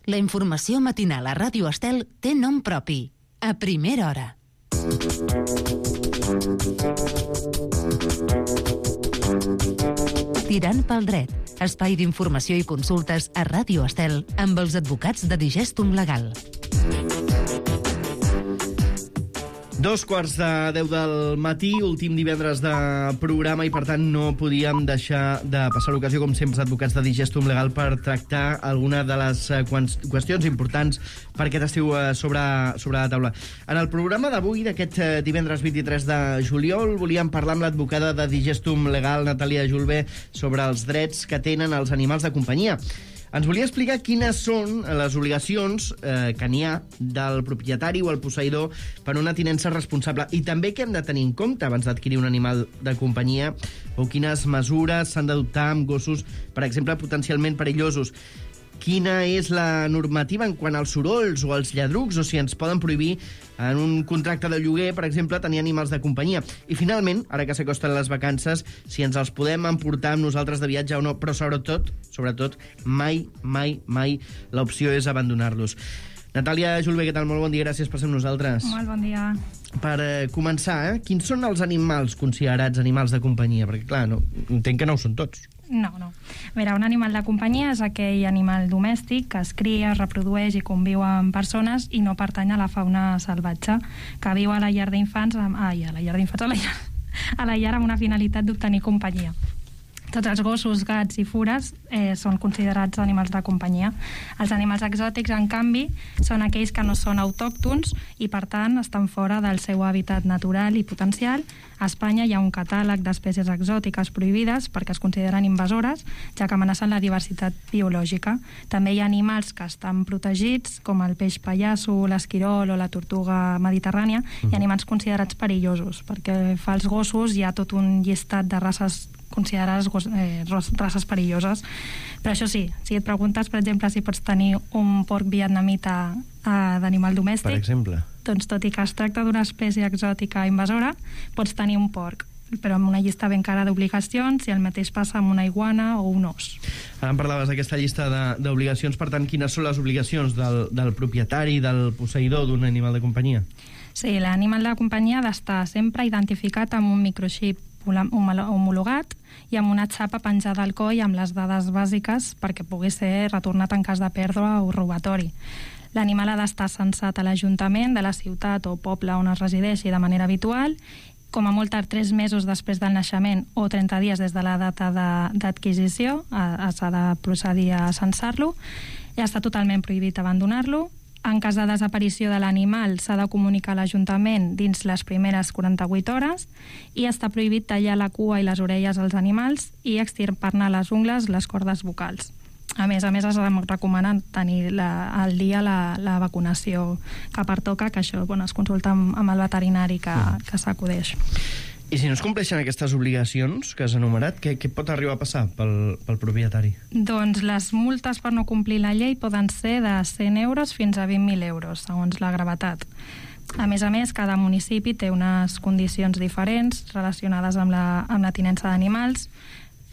La informació matinal a Ràdio Estel té nom propi. A primera hora. Tirant pel dret. Espai d'informació i consultes a Ràdio Estel amb els advocats de Digestum Legal. 2:45 del matí, últim divendres de programa, i per tant no podíem deixar de passar l'ocasió, com sempre, els advocats de Digestum Legal per tractar alguna de les qüestions importants per aquest estiu sobre la taula. En el programa d'avui, d'aquest divendres 23 de juliol, volíem parlar amb l'advocada de Digestum Legal, Natàlia Julve, sobre els drets que tenen els animals de companyia. Ens volia explicar quines són les obligacions que n'hi ha del propietari o el posseïdor per una tinença responsable, i també què hem de tenir en compte abans d'adquirir un animal de companyia, o quines mesures s'han d'adoptar amb gossos, per exemple, potencialment perillosos. Quina és la normativa en quant als sorolls o als lladrucs, o si ens poden prohibir en un contracte de lloguer, per exemple, tenir animals de companyia. I finalment, ara que s'acosten les vacances, si ens els podem emportar amb nosaltres de viatge o no, però sobretot, mai l'opció és abandonar-los. Natàlia Julve, què tal? Molt bon dia, gràcies per ser amb nosaltres. Molt bon dia. Per començar, quins són els animals considerats animals de companyia? Perquè, clar, entenc que no ho són tots. No. A veure, un animal de companyia és aquell animal domèstic que es cria, es reprodueix i conviu amb persones i no pertany a la fauna salvatge, que viu a la llar d'infants, a la llar amb una finalitat d'obtenir companyia. Tots els gossos, gats i fures són considerats animals de companyia. Els animals exòtics, en canvi, són aquells que no són autòctons i, per tant, estan fora del seu hàbitat natural i potencial. A Espanya hi ha un catàleg d'espècies exòtiques prohibides perquè es consideren invasores, ja que amenacen la diversitat biològica. També hi ha animals que estan protegits, com el peix pallasso, l'esquirol o la tortuga mediterrània, i animals considerats perillosos, perquè fa als gossos hi ha tot un llistat de races considerades races perilloses. Però això sí, si et preguntes, per exemple, si pots tenir un porc vietnamita d'animal domèstic, per exemple, doncs tot i que es tracta d'una espècie exòtica invasora, pots tenir un porc, però amb una llista ben cara d'obligacions, i el mateix passa amb una iguana o un os. Ara em parlaves d'aquesta llista d'obligacions, per tant, quines són les obligacions del propietari, del posseïdor d'un animal de companyia? Sí, l'animal de companyia ha d'estar sempre identificat amb un microxip homologat i amb una xapa penjada al coll amb les dades bàsiques perquè pugui ser retornat en cas de pèrdua o robatori. L'animal ha d'estar censat a l'Ajuntament de la ciutat o poble on es resideixi de manera habitual, com a molt tard 3 mesos després del naixement o 30 dies des de la data d'adquisició, s'ha de procedir a censar-lo, i està totalment prohibit abandonar-lo. En cas de desaparició de l'animal s'ha de comunicar a l'Ajuntament dins les primeres 48 hores, i està prohibit tallar la cua i les orelles als animals i extirpar-ne les ungles, les cordes vocals. A més, es recomana tenir al dia la vacunació que pertoca, que això es consulta amb el veterinari que s'acudeix. I si no es compleixen aquestes obligacions que has enumerat, què pot arribar a passar pel propietari? Doncs les multes per no complir la llei poden ser de 100 euros fins a 20.000 euros, segons la gravetat. A més, cada municipi té unes condicions diferents relacionades amb la tinença d'animals.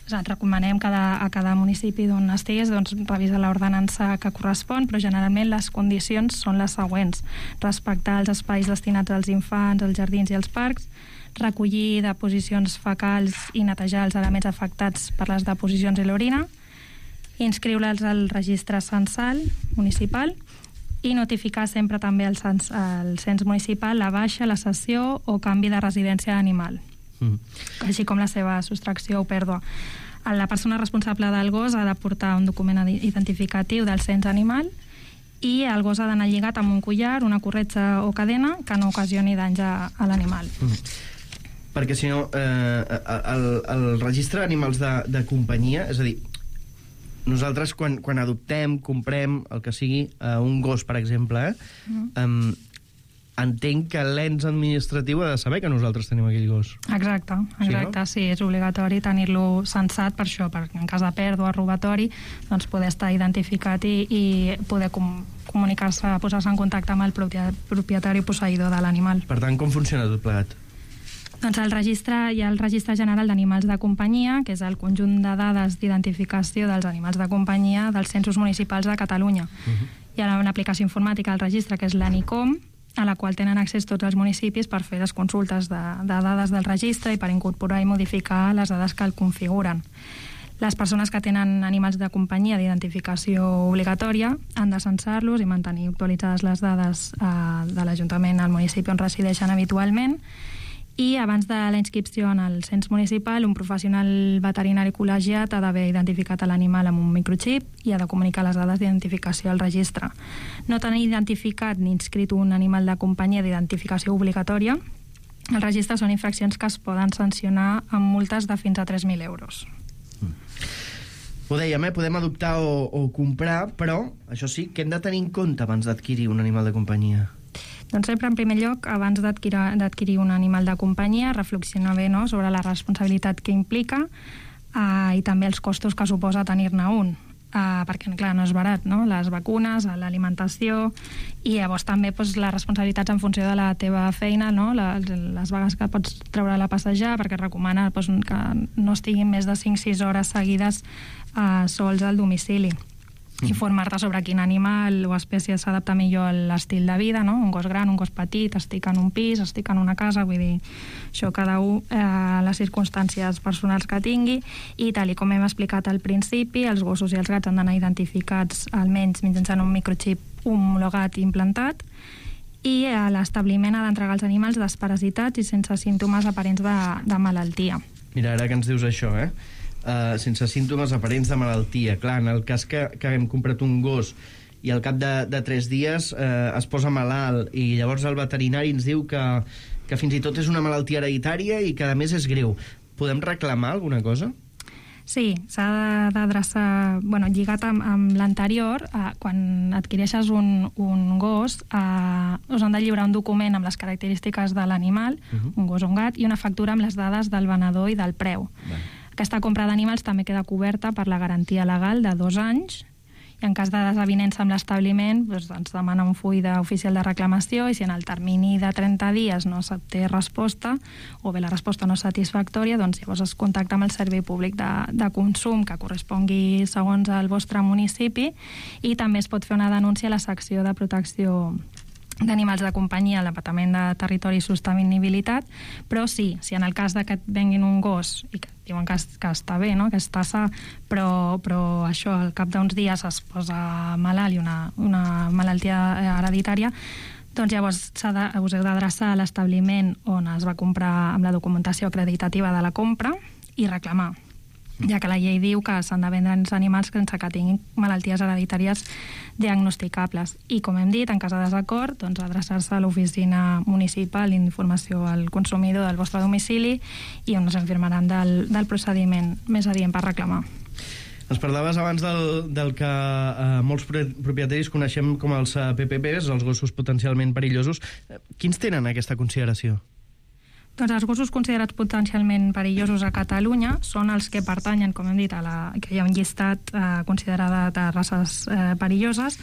Et recomanem a cada municipi d'on estiguis revisar l'ordenança que correspon, però generalment les condicions són les següents: respectar els espais destinats als infants, als jardins i als parcs, recollir deposicions fecals i netejar els elements afectats per les deposicions i l'orina, inscriure'ls al registre censal municipal i notificar sempre també al cens municipal la baixa, la cessió o canvi de residència d'animal, així com la seva sostracció o pèrdua. La persona responsable del gos ha de portar un document identificatiu del cens animal, i el gos ha d'anar lligat amb un collar, una corretja o cadena que no ocasioni danys a l'animal. Perquè si no, el registre d'animals de companyia, és a dir, nosaltres quan adoptem, comprem, el que sigui, un gos, per exemple, entenc que l'ens administratiu ha de saber que nosaltres tenim aquell gos. Exacte, sí, és obligatori tenir-lo censat per això, perquè en cas de pèrdua o robatori, doncs poder estar identificat i poder comunicar-se, posar-se en contacte amb el propietari posseïdor de l'animal. Per tant, com funciona tot plegat? Doncs hi ha el Registre General d'Animals de Companyia, que és el conjunt de dades d'identificació dels animals de companyia dels censos municipals de Catalunya. Hi ha una aplicació informàtica al registre que és l'ANICOM, a la qual tenen accés tots els municipis per fer les consultes de dades del registre i per incorporar i modificar les dades que el configuren. Les persones que tenen animals de companyia d'identificació obligatòria han de censar-los i mantenir actualitzades les dades de l'Ajuntament al municipi on resideixen habitualment, i abans de la inscripció en el cens municipal, un professional veterinari col·legiat ha d'haver identificat l'animal amb un microxip i ha de comunicar les dades d'identificació al registre. No tenir identificat ni inscrit un animal de companyia d'identificació obligatòria al registre són infraccions que es poden sancionar amb multes de fins a 3.000 euros. Ho dèiem, podem adoptar o comprar, però, això sí, què hem de tenir en compte abans d'adquirir un animal de companyia? Doncs sempre, en primer lloc, abans d'adquirir un animal de companyia, reflexionar bé, no?, sobre la responsabilitat que implica i també els costos que suposa tenir-ne un. Perquè, clar, no és barat, no?, les vacunes, l'alimentació, i llavors també les responsabilitats en funció de la teva feina, no?, les vegades que pots treure-la a passejar, perquè es recomana que no estiguin més de 5-6 hores seguides sols al domicili. Informar-te sobre quin animal o espècie s'adapta millor a l'estil de vida, no? Un gos gran, un gos petit, estic en un pis, estic en una casa, vull dir, això cada un, les circumstàncies personals que tingui, i tal com hem explicat al principi, els gossos i els gats han d'anar identificats almenys mitjançant un microxip homologat i implantat, i l'establiment ha d'entregar els animals desparasitats i sense símptomes aparents de malaltia. Mira, ara que ens dius això, sense símptomes aparents de malaltia. Clar, en el cas que hem comprat un gos i al cap de 3 dies es posa malalt i llavors el veterinari ens diu que fins i tot és una malaltia hereditària i que a més és greu, podem reclamar alguna cosa? Sí, s'ha d'adreçar, lligat amb l'anterior, quan adquireixes un gos, us han de lliurar un document amb les característiques de l'animal, un gos o un gat, i una factura amb les dades del venedor i del preu. Aquesta compra d'animals també queda coberta per la garantia legal de 2 anys, i en cas de desavinença amb l'establiment ens demana un full oficial de reclamació, i si en el termini de 30 dies no té resposta, o bé la resposta no és satisfactòria, doncs llavors es contacta amb el servei públic de consum que correspongui segons el vostre municipi, i també es pot fer una denúncia a la secció de protecció d'animals de companyia al Departament de Territori i Sostenibilitat, però sí, si en el cas que et venguin un gos i que diuen que està bé, no?, que està sa, però això al cap d'uns dies es posa malalt i una malaltia hereditària, doncs llavors us heu d'adreçar a l'establiment on es va comprar amb la documentació acreditativa de la compra i reclamar, ja que la llei diu que s'han de vendre els animals sense que tinguin malalties hereditàries diagnosticables. I, com hem dit, en cas de desacord, doncs adreçar-se a l'oficina municipal d'informació al consumidor del vostre domicili i on us informaran del procediment més adient per reclamar. Ens parlaves abans del que molts propietaris coneixem com els PPPs, els gossos potencialment perillosos. Quins tenen aquesta consideració? Doncs els gossos considerats potencialment perillosos a Catalunya són els que pertanyen, com hem dit, que hi ha un llistat considerat de races perilloses,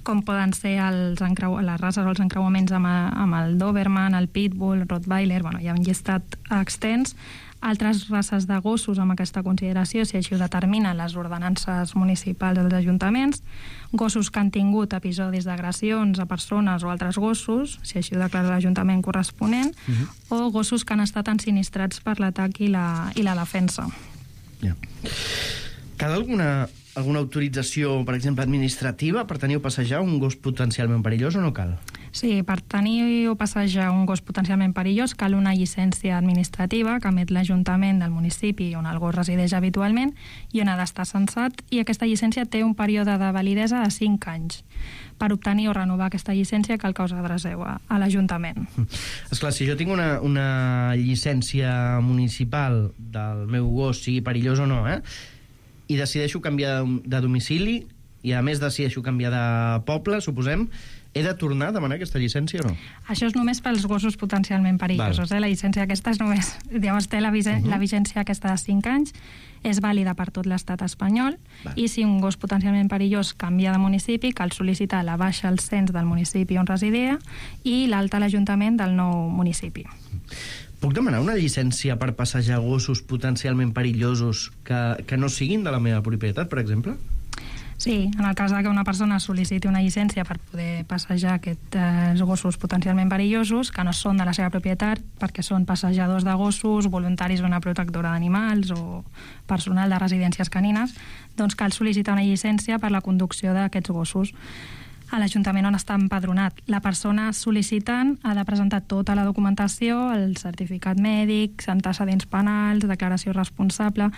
com poden ser les races o els encreuaments amb el Doberman, el Pitbull, el Rottweiler. Hi ha un llistat extens. Altres races de gossos amb aquesta consideració, si així ho determinen les ordenances municipals dels ajuntaments, gossos que han tingut episodis d'agressions a persones o altres gossos, si així ho declara l'Ajuntament corresponent, o gossos que han estat ensinistrats per l'atac i la defensa. Cal alguna autorització, per exemple, administrativa per tenir o passejar un gos potencialment perillós o no cal? Sí, per tenir o passejar un gos potencialment perillós cal una llicència administrativa que emet l'Ajuntament del municipi on el gos resideix habitualment i on ha d'estar censat, i aquesta llicència té un període de validesa de 5 anys. Per obtenir o renovar aquesta llicència cal que us adreceu a l'Ajuntament. Esclar, si jo tinc una llicència municipal del meu gos, sigui perillós o no, i decideixo canviar de domicili i a més decideixo canviar de poble, suposem, he de tornar a demanar aquesta llicència o no? Això és només pels gossos potencialment perillosos. La llicència aquesta és només... Llavors té la vigència aquesta de 5 anys, és vàlida per tot l'estat espanyol, i si un gos potencialment perillós canvia de municipi, cal sol·licitar la baixa al cens del municipi on residia i l'alta a l'Ajuntament del nou municipi. Puc demanar una llicència per passejar gossos potencialment perillosos que no siguin de la meva propietat, per exemple? Sí, en el cas que una persona sol·liciti una llicència per poder passejar aquests gossos potencialment perillosos, que no són de la seva propietat, perquè són passejadors de gossos, voluntaris d'una protectora d'animals o personal de residències canines, doncs cal sol·licitar una llicència per la conducció d'aquests gossos a l'Ajuntament on està empadronat. La persona sol·licitant ha de presentar tota la documentació, el certificat mèdic, antecedents penals, declaració responsable,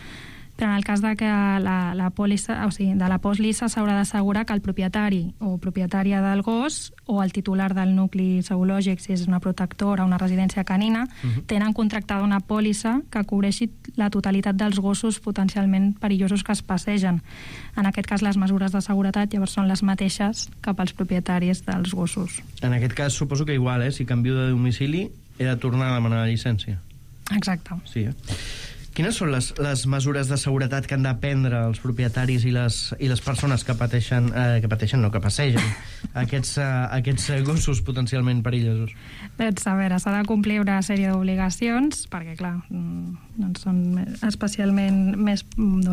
però en el cas de que la pòlissa, o sigui, de la pòlissa s'haurà d'assegurar que el propietari o propietària del gos o el titular del nucli zoològic, si és una protectora o una residència canina, tenen contractada una pòlissa que cobreixi la totalitat dels gossos potencialment perillosos que es passegen. En aquest cas, les mesures de seguretat llavors són les mateixes que pels propietaris dels gossos. En aquest cas, suposo que igual, si canvio de domicili, he de tornar a demanar la llicència. Exacte. Sí, Quines són les mesures de seguretat que han de prendre els propietaris i les persones que passegen aquests gossos potencialment perillosos? Doncs, a veure, s'ha de complir una sèrie d'obligacions, perquè, clar, doncs són especialment més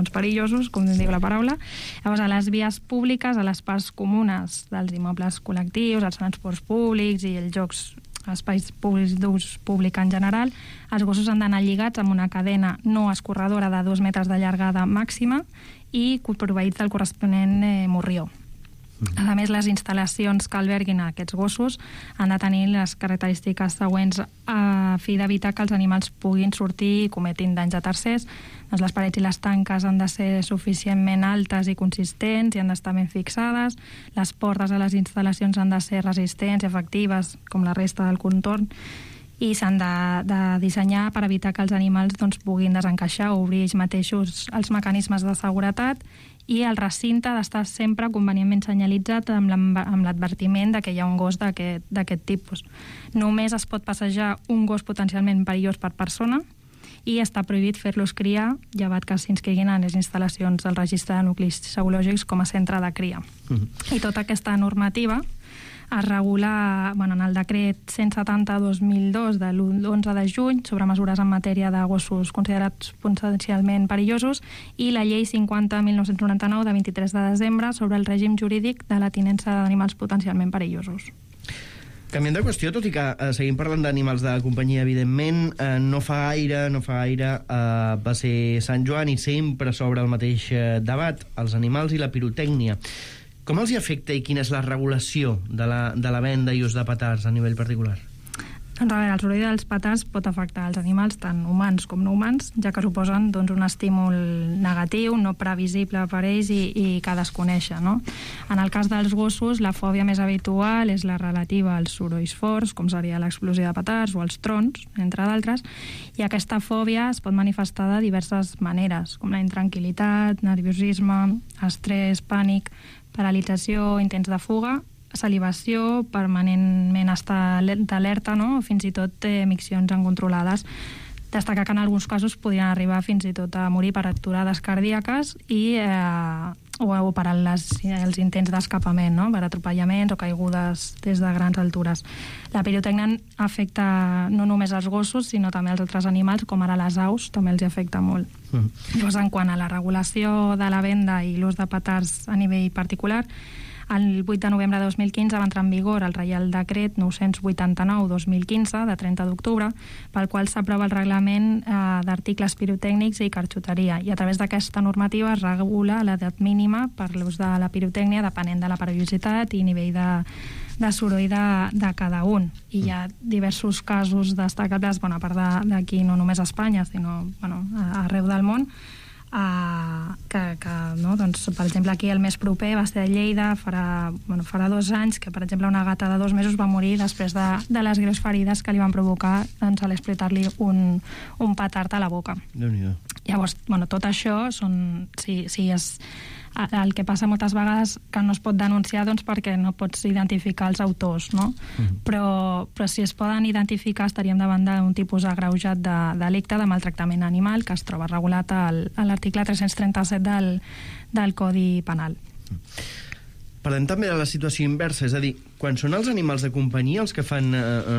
perillosos, com diu la paraula. Llavors, a les vies públiques, a les parts comunes dels immobles col·lectius, als transports públics i els jocs espais públics d'ús públic en general, els gossos han d'anar lligats amb una cadena no escorredora de 2 metres de llargada màxima i proveïts del corresponent morrió. A més, les instal·lacions que alberguin aquests gossos han de tenir les característiques següents a fi d'evitar que els animals puguin sortir i cometin danys a tercers. Doncs les parets i les tanques han de ser suficientment altes i consistents i han d'estar ben fixades. Les portes a les instal·lacions han de ser resistents i efectives, com la resta del contorn, i s'han de dissenyar per evitar que els animals puguin desencaixar o obrir ells mateixos els mecanismes de seguretat, i el recinte ha d'estar sempre convenientment senyalitzat amb l'advertiment de que hi ha un gos d'aquest tipus. Només es pot passejar un gos potencialment perillós per persona i està prohibit fer-los criar, llevat que s'inscriguin en les instal·lacions del registre de nuclis zoològics com a centre de cria. I tota aquesta normativa es regula en el decret 170/2002 de l'11 de juny sobre mesures en matèria de gossos considerats potencialment perillosos i la llei 50/1999 de 23 de desembre sobre el règim jurídic de la tinença d'animals potencialment perillosos. Canviant de qüestió, tot i que seguim parlant d'animals de companyia, evidentment, no fa gaire va ser Sant Joan i sempre s'obre el mateix debat, els animals i la pirotècnia. Com els hi afecta i quina és la regulació de la venda i ús de petards a nivell particular? Doncs a veure, el soroll dels petards pot afectar els animals, tant humans com no humans, ja que suposen un estímul negatiu, no previsible per ells i que desconeixen, no? En el cas dels gossos, la fòbia més habitual és la relativa als sorolls forts, com seria l'explosió de petards o els trons, entre d'altres, i aquesta fòbia es pot manifestar de diverses maneres, com la intranquil·litat, nerviosisme, estrès, pànic, paralització, intents de fuga, salivació, permanentment estar d'alerta, no? Fins i tot miccions incontrolades. Destacar que en alguns casos podrien arribar fins i tot a morir per aturades cardíaques o per els intents d'escapament, no? Per atropellaments o caigudes des de grans altures. La pirotècnia afecta no només els gossos, sinó també els altres animals, com ara les aus, també els afecta molt. Llavors, en quant a la regulació de la venda i l'ús de petards a nivell particular, el 8 de novembre de 2015 va entrar en vigor el Reial Decret 989/2015, de 30 d'octubre, pel qual s'aprova el reglament d'articles pirotècnics i carxoteria. I a través d'aquesta normativa es regula l'edat mínima per l'ús de la pirotècnia, depenent de la perillositat i nivell de soroll de cada un. I hi ha diversos casos destacables, a part d'aquí, no només a Espanya, sinó arreu del món, per exemple, aquí el més proper va ser a Lleida farà 2 anys, que per exemple una gata de 2 mesos va morir després de les greus ferides que li van provocar a l'explotar-li un petard a la boca. Déu-n'hi-do. Llavors, tot això és el que passa moltes vegades, que no es pot denunciar perquè no pots identificar els autors, no? Però si es poden identificar estaríem davant d'un tipus agreujat de delicte de maltractament animal que es troba regulat a l'article 337 del Codi Penal. Parlem també de la situació inversa, és a dir, quan són els animals de companyia els que fan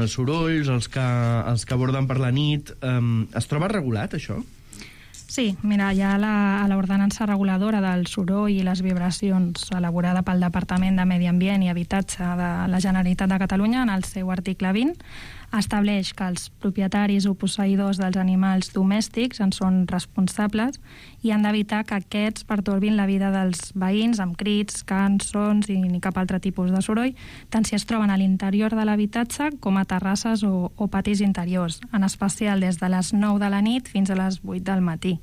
sorolls, els que aborden per la nit, es troba regulat això? Sí, mira, hi ha a l'ordenança reguladora del soroll i les vibracions elaborada pel Departament de Medi Ambient i Habitatge de la Generalitat de Catalunya, en el seu article 20, estableix que els propietaris o posseïdors dels animals domèstics en són responsables i han d'evitar que aquests pertorbin la vida dels veïns amb crits, cants, sons i ni cap altre tipus de soroll, tant si es troben a l'interior de l'habitatge com a terrasses o patis interiors, en especial des de les 9 de la nit fins a les 8 del matí.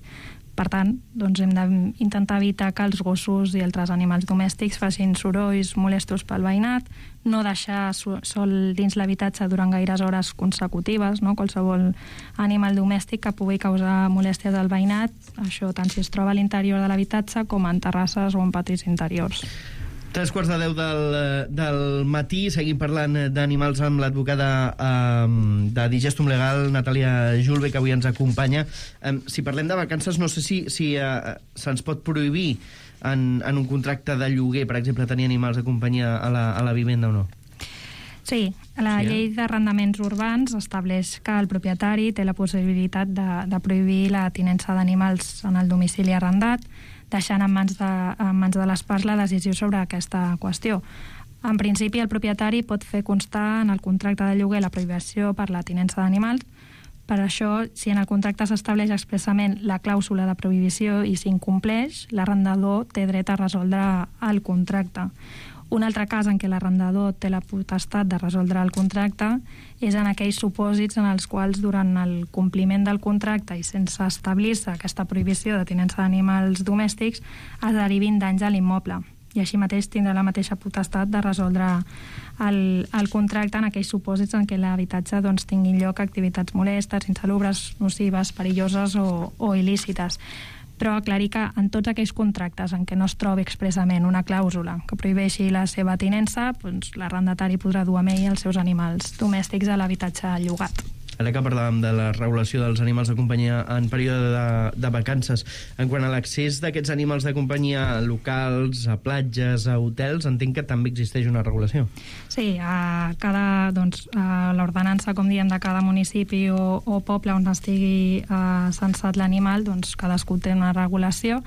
Per tant, doncs hem d'intentar evitar que els gossos i altres animals domèstics facin sorolls molestos pel veïnat, no deixar sol dins l'habitatge durant gaires hores consecutives, no? Qualsevol animal domèstic que pugui causar molèsties al veïnat, això tant si es troba a l'interior de l'habitatge com en terrasses o en patis interiors. 3:45 del matí, seguim parlant d'animals amb l'advocada de Digestum Legal, Natàlia Julve, que avui ens acompanya. Si parlem de vacances, no sé si se'ns pot prohibir en un contracte de lloguer, per exemple, tenir animals de companyia a la vivenda o no? Sí, la llei d'arrendaments urbans estableix que el propietari té la possibilitat de prohibir la tinença d'animals en el domicili arrendat, deixant en mans de les parts la decisió sobre aquesta qüestió. En principi, el propietari pot fer constar en el contracte de lloguer la prohibició per la tinença d'animals. Per això, si en el contracte s'estableix expressament la clàusula de prohibició i s'incompleix, l'arrendador té dret a resoldre el contracte. Un altre cas en què l'arrendador té la potestat de resoldre el contracte és en aquells supòsits en els quals durant el compliment del contracte i sense establir-se aquesta prohibició de tinença d'animals domèstics es derivin danys a l'immoble. I així mateix tindrà la mateixa potestat de resoldre el contracte en aquells supòsits en què l'habitatge tinguin lloc activitats molestes, insalubres, nocives, perilloses o il·lícites. Però aclarir que en tots aquells contractes en què no es trobi expressament una clàusula que prohibeixi la seva tinença, l'arrendatari podrà dur amb ell els seus animals domèstics a l'habitatge llogat. Ara que parlàvem de la regulació dels animals de companyia en període de vacances, en quant a l'accés d'aquests animals de companyia locals, a platges, a hotels, entenc que també existeix una regulació. Sí, a l'ordenança, com diem, de cada municipi o poble on estigui censat l'animal, cadascú té una regulació.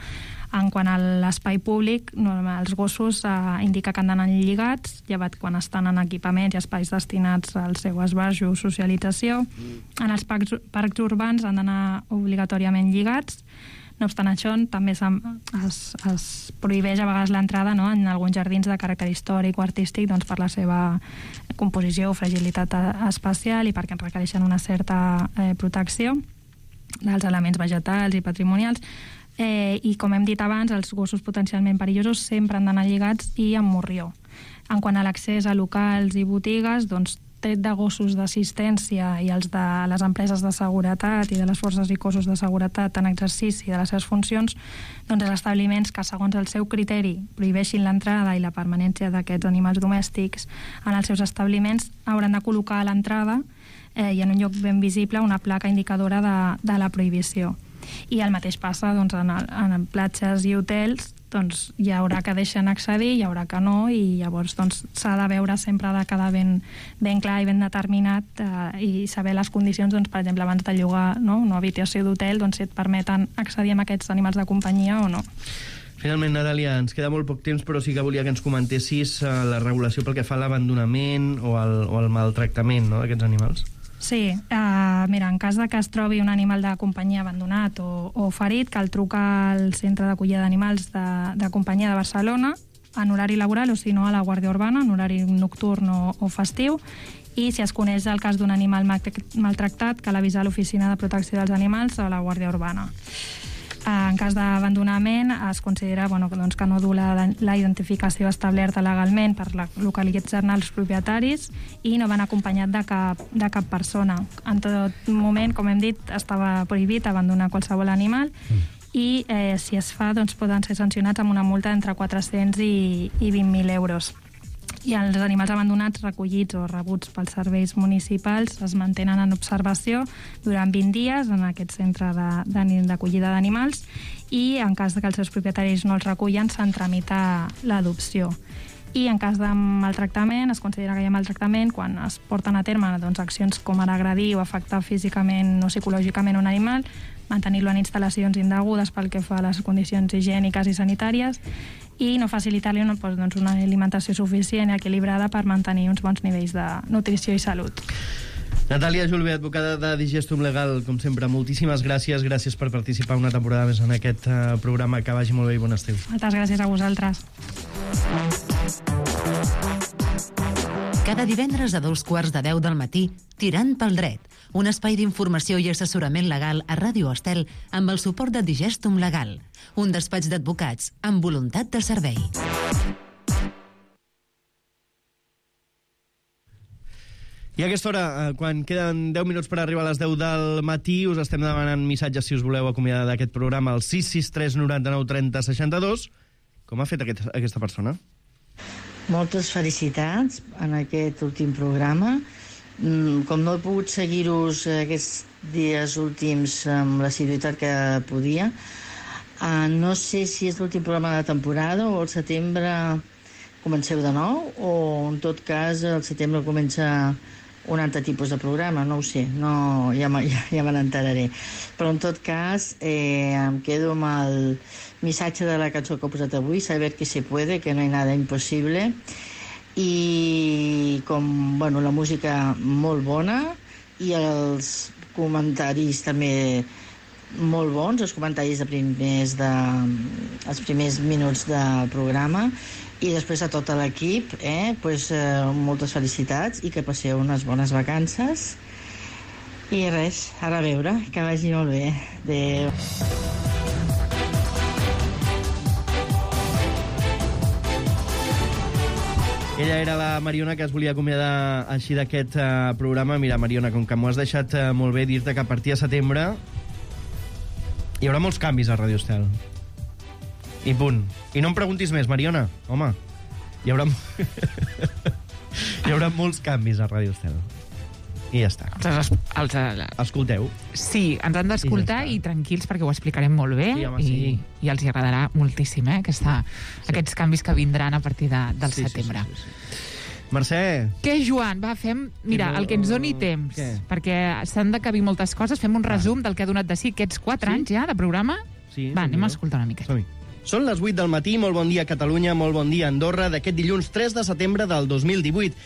En quant a l'espai públic, els gossos indica que han d'anar lligats, llevat quan estan en equipaments i espais destinats al seu esbarjo o socialització. En els parcs urbans han d'anar obligatòriament lligats. No obstant això, també es prohibeix a vegades l'entrada en alguns jardins de caràcter històric o artístic per la seva composició o fragilitat espacial i perquè requereixen una certa protecció dels elements vegetals i patrimonials. I com hem dit abans, els gossos potencialment perillosos sempre han d'anar lligats i amb morrió. En quant a l'accés a locals i botigues, tret de gossos d'assistència i els de les empreses de seguretat i de les forces i cossos de seguretat en exercici de les seves funcions, els establiments que, segons el seu criteri, prohibeixin l'entrada i la permanència d'aquests animals domèstics en els seus establiments hauran de col·locar a l'entrada i en un lloc ben visible una placa indicadora de la prohibició. I el mateix passa en platges i hotels, hi haurà que deixen accedir, hi haurà que no, i llavors s'ha de veure sempre de quedar ben clar i ben determinat i saber les condicions, per exemple, abans de llogar una habitació d'hotel, si et permeten accedir a aquests animals de companyia o no. Finalment, Natàlia, ens queda molt poc temps, però sí que volia que ens comentessis la regulació pel que fa a l'abandonament o al maltractament d'aquests animals. Sí, mira, en cas que es trobi un animal de companyia abandonat o ferit, cal trucar al Centre d'Acollida d'Animals de Companyia de Barcelona en horari laboral o, si no, a la Guàrdia Urbana en horari nocturn o festiu, i si es coneix el cas d'un animal maltractat, cal avisar l'Oficina de Protecció dels Animals a la Guàrdia Urbana. En cas d'abandonament es considera que no du la identificació establerta legalment per localitzar-ne els propietaris i no van acompanyat de cap persona. En tot moment, com hem dit, estava prohibit abandonar qualsevol animal i si es fa poden ser sancionats amb una multa entre 400 i 20.000 euros. I els animals abandonats recollits o rebuts pels serveis municipals es mantenen en observació durant 20 dies en aquest centre d'acollida d'animals i en cas que els seus propietaris no els recullen se'n tramita l'adopció. I en cas de maltractament, es considera que hi ha maltractament quan es porten a terme accions com ara agredir o afectar físicament o psicològicament un animal, mantenir-lo en instal·lacions indegudes pel que fa a les condicions higièniques i sanitàries, i no facilitar-li una alimentació suficient i equilibrada per mantenir uns bons nivells de nutrició i salut. Natàlia Julve, advocada de Digestum Legal, com sempre, moltíssimes gràcies. Gràcies per participar una temporada més en aquest programa. Que vagi molt bé i bon estiu. Moltes gràcies a vosaltres. Cada divendres a 2:15 del matí, Tirant pel dret, un espai d'informació i assessorament legal a Ràdio Estel amb el suport de Digestum Legal, un despatx d'advocats amb voluntat de servei. I a aquesta hora, quan queden 10 minuts per arribar a les 10 del matí, us estem demanant missatges si us voleu acomiadar d'aquest programa al 663 99 30 62. Com ha fet aquesta persona? Moltes felicitats en aquest últim programa. Com no he pogut seguir-vos aquests dies últims amb l'assiduïtat que podia, no sé si és l'últim programa de la temporada o al setembre comenceu de nou, o en tot cas al setembre comença un altre tipus de programa, no ho sé, ja me n'enteraré. Però en tot cas em quedo amb el missatge de la cançó que he posat avui, saber que se puede, que no hay nada imposible, i la música molt bona i els comentaris també molt bons, els comentaris els primers minuts del programa, i després a tot l'equip moltes felicitats i que passeu unes bones vacances i res, ara a veure, que vagi molt bé. Adéu. Ella era la Mariona, que es volia acomiadar així d'aquest programa. Mira, Mariona, com que m'ho has deixat molt bé, dir-te que a partir de setembre hi haurà molts canvis a Ràdio Estel. I punt. I no em preguntis més, Mariona. Home, hi haurà molts canvis a Ràdio Estel. I ja està. Escolteu. Sí, ens han d'escoltar i tranquils perquè ho explicarem molt bé, sí, home, sí. I els hi agradarà moltíssim aquests canvis que vindran a partir del setembre. Sí. Mercè. Què, Joan? Va, fem... Mira, el que ens doni temps, perquè s'han de cabir moltes coses, fem un resum del que ha donat de si aquests 4 anys ja de programa. Sí, va, anem a escoltar una miqueta. Són les 8 del matí, molt bon dia Catalunya, molt bon dia Andorra, d'aquest dilluns 3 de setembre del 2018.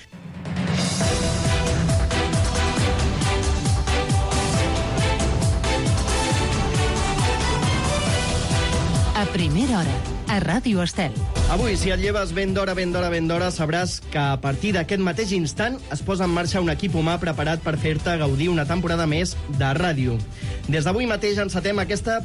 A primera hora, a Ràdio Estel. Avui, si et lleves ben d'hora, sabràs que a partir d'aquest mateix instant es posa en marxa un equip humà preparat per fer-te gaudir una temporada més de ràdio. Des d'avui mateix encetem aquesta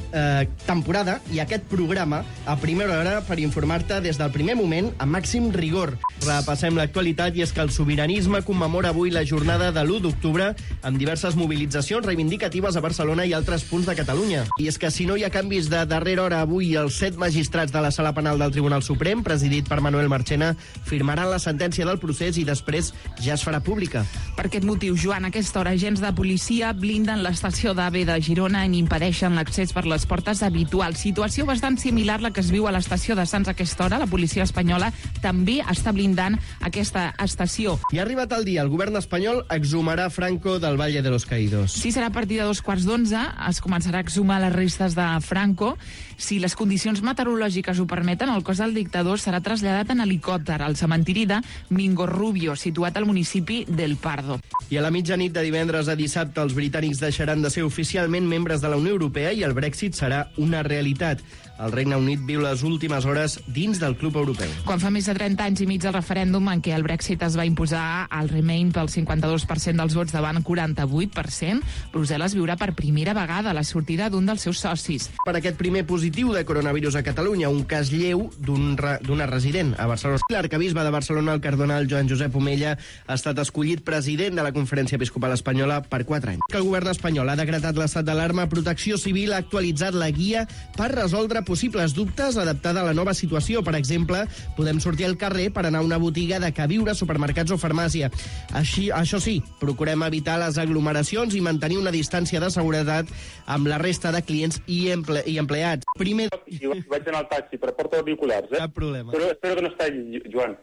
temporada i aquest programa a primera hora per informar-te des del primer moment amb màxim rigor. Repassem l'actualitat i és que el sobiranisme commemora avui la jornada de l'1 d'octubre amb diverses mobilitzacions reivindicatives a Barcelona i altres punts de Catalunya. I és que si no hi ha canvis de darrera hora avui, els 7 magistrats de la Sala Penal del Tribunal Suprem, presidit per Manuel Marchena, firmaran la sentència del procés i després ja es farà pública. Per aquest motiu, Joan, a aquesta hora, agents de policia blinden l'estació d'AVE de Girona i impedeixen l'accés per les portes habituals. Situació bastant similar a la que es viu a l'estació de Sants a aquesta hora. La policia espanyola també està blindant aquesta estació. I ha arribat el dia. El govern espanyol exhumarà Franco del Valle de los Caídos. Sí, serà a partir de 2:15. Es començarà a exhumar les restes de Franco. Si les condicions meteorològiques ho permeten, el cos del dictador serà traslladat en helicòpter al cementiri de Mingorrubio, situat al municipi del Pardo. I a la mitjanit de divendres a dissabte, els britànics deixaran de ser oficialment membres de la Unió Europea i el Brexit serà una realitat. El Regne Unit viu les últimes hores dins del club europeu. Quan fa més de 30 anys i mig del referèndum en què el Brexit es va imposar al Remain pel 52% dels vots davant 48%, Brussel·les viurà per primera vegada la sortida d'un dels seus socis. Per aquest primer positiu de coronavirus a Catalunya, un cas lleu d'una resident a Barcelona. L'arcabisbe de Barcelona, el cardenal Joan Josep Omella, ha estat escollit president de la Conferència Episcopal Espanyola per 4 anys. El govern espanyol ha decretat l'estat d'alarma. Protecció Civil ha actualitzat la guia per resoldre possibles dubtes adaptada a la nova situació. Per exemple, podem sortir al carrer per anar a una botiga de queviure, supermercats o farmàcia. Això sí, procurem evitar les aglomeracions i mantenir una distància de seguretat amb la resta de clients i empleats. Primer... Jo vaig anar al taxi, però porto auriculars, Cap problema. Pero espero que no está Joan.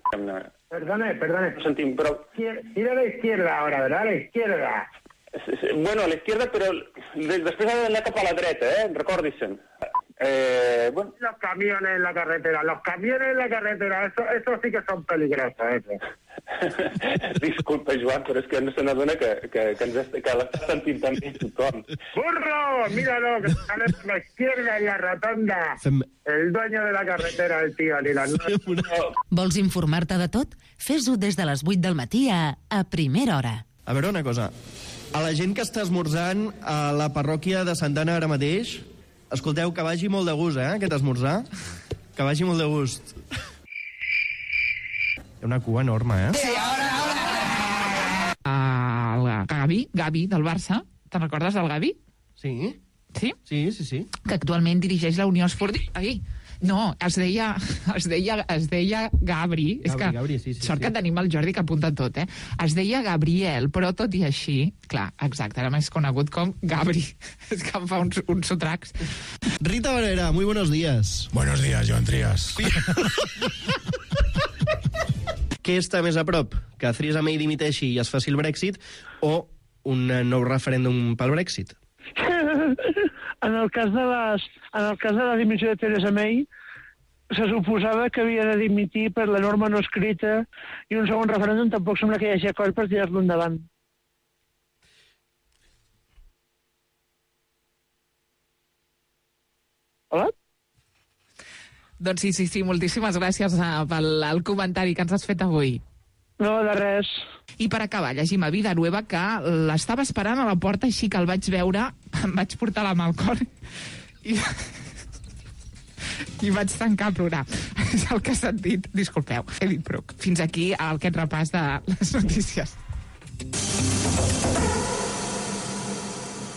Perdone. No sentim, però... Ir a la izquierda ahora, ¿verdad? A la izquierda. Bueno, a la izquierda, pero después ha d'anar cap a la dreta, recordis-se'n. Bueno. Los camiones en la carretera, eso sí que son peligrosos, eso. Disculpa, Joan, però és que no se n'adona que l'està sentint també tothom. ¡Burro! Míralo, que sale por la izquierda en la rotonda. El dueño de la carretera, el tío, ni la Vols informar-te de tot? Fes-ho des de les 8 del matí a Primera Hora. A veure una cosa. A la gent que està esmorzant a la parròquia de Santa Anna ara mateix, escolteu, que vagi molt de gust, aquest esmorzar. Que vagi molt de gust. Hi ha una cua enorme, El Gavi, del Barça. Te'n recordes del Gavi? Sí. Sí? Sí. Que actualment dirigeix la Unió Esportiva... No, es deia Gabri. És que Gabri, sí. sort que tenim el Jordi que apunta tot, Es deia Gabriel, però tot i així, clar, exacte, era més conegut com Gabri. És que em fa uns sotracs. Rita Barrera, muy buenos días. Buenos días, Joan Trias. Què està més a prop? Que Theresa May dimiteixi i es faci el Brexit o un nou referèndum pel Brexit? En el cas de la dimissió de Theresa May, se suposava que havia de dimitir per la norma no escrita i un segon referèndum tampoc sembla que hi hagi acord per tirar-lo endavant. Hola? Doncs sí, moltíssimes gràcies pel comentari que ens has fet avui. No, de res. I per acabar, llegim a Vida Nueva que l'estava esperant a la porta, així que el vaig veure, em vaig portar la mà al cor i vaig tancar a plorar. És el que he sentit. Disculpeu, he dit prou. Fins aquí aquest repàs de les notícies.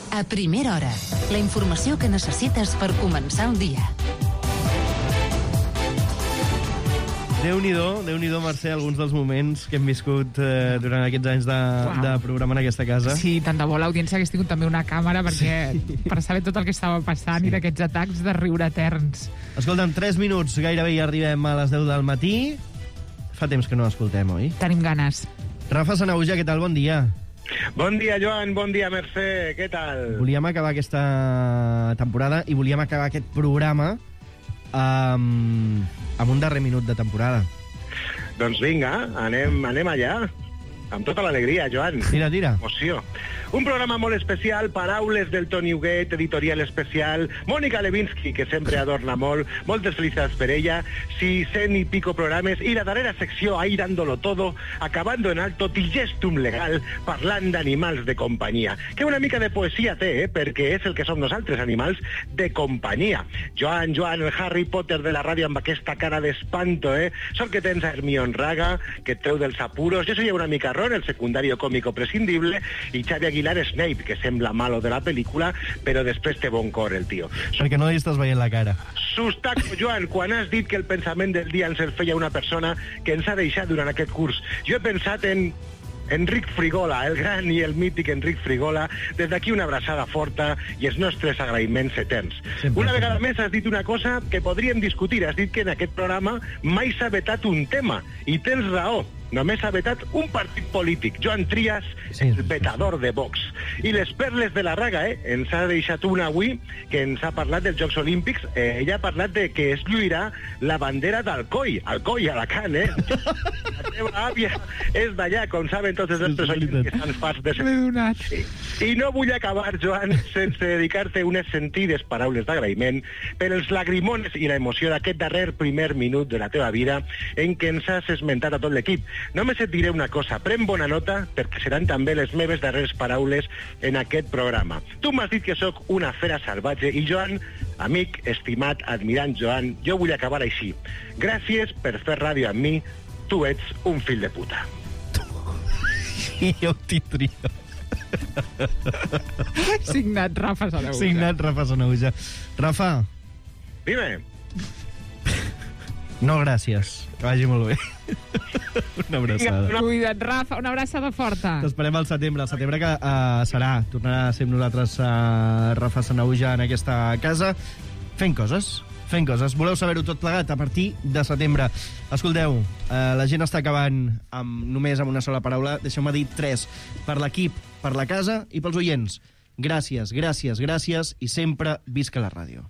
A Primera Hora, la informació que necessites per començar el dia. Déu-n'hi-do, Mercè, alguns dels moments que hem viscut durant aquests anys de programa en aquesta casa. Sí, tant de bo l'audiència hagués tingut també una càmera per saber tot el que estava passant i d'aquests atacs de riure eterns. Escolta'm, 3 minuts, gairebé ja arribem a les 10 del matí. Fa temps que no l'escoltem, oi? Tenim ganes. Rafa Sanahuja, què tal? Bon dia. Bon dia, Joan, bon dia, Mercè, què tal? Volíem acabar aquesta temporada i volíem acabar aquest programa amb un darrer minut de temporada. Doncs vinga, anem allà. Amb tota l'alegria, Joan. Tira. Emoció. Un programa molt especial, paraules del Toni Huguet, editorial especial, Mònica Lewinsky, que sempre adorna molt, moltes felicitats per ella, 600 y pico programes, i la darrera secció, ahí dándolo todo, acabando en alto, Digestum Legal, parlant d'animals de companyia. Que una mica de poesia té, perquè és el que som nosaltres, animals de companyia. Joan, el Harry Potter de la ràdio amb aquesta cara d'espanto, Sort que tens a Hermione Raga, que et treu dels apuros. Jo soy una mica Ron, el secundario cómico prescindible, i Xavi Aguilar Snape, que sembla malo de la pel·lícula, però després té bon cor, el tio. Perquè no li estàs veient la cara. Sustaco, Joan, quan has dit que el pensament del dia ens el feia una persona que ens ha deixat durant aquest curs, jo he pensat en Enric Frigola, el gran i el mític Enric Frigola. Des d'aquí una abraçada forta i els nostres agraïments eterns. Una vegada més has dit una cosa que podríem discutir. Has dit que en aquest programa mai s'ha vetat un tema, i tens raó. Només ha vetat un partit polític, Joan Trias, el vetador de Vox. I les perles de la Raga, ens ha deixat una avui que ens ha parlat dels Jocs Olímpics. Ella ha parlat de que es lluirà la bandera d'Alcoi, Alcoi, Alacant, La teva àvia és d'allà, com saben tots els nostres oients que estan farts de ser. I no vull acabar, Joan, sense dedicar-te unes sentides paraules d'agraïment per els lagrimones i l'emoció d'aquest darrer primer minut de la teva vida en què ens has esmentat a tot l'equip. Només et diré una cosa, pren bona nota perquè seran també les meves darreres paraules en aquest programa. Tu m'has dit que sóc una fera salvatge i Joan, amic, estimat, admirant Joan, jo vull acabar així. Gràcies per fer ràdio amb mi, tu ets un fill de puta. I jo t'hi trio. Signat Rafa Sanahuja. Signat Rafa Sanahuja. Rafa. Dime. No, gràcies. Que vagi molt bé. Una abraçada. Cuida't, Rafa. Una abraçada forta. T'esperem al setembre. El setembre que tornarà a ser amb nosaltres Rafa Sanahuja en aquesta casa fent coses. fent coses. Voleu saber-ho tot plegat a partir de setembre. Escolteu, la gent està acabant només amb una sola paraula. Deixeu-me dir 3. Per l'equip, per la casa i pels oients. Gràcies, gràcies, gràcies i sempre visca la ràdio.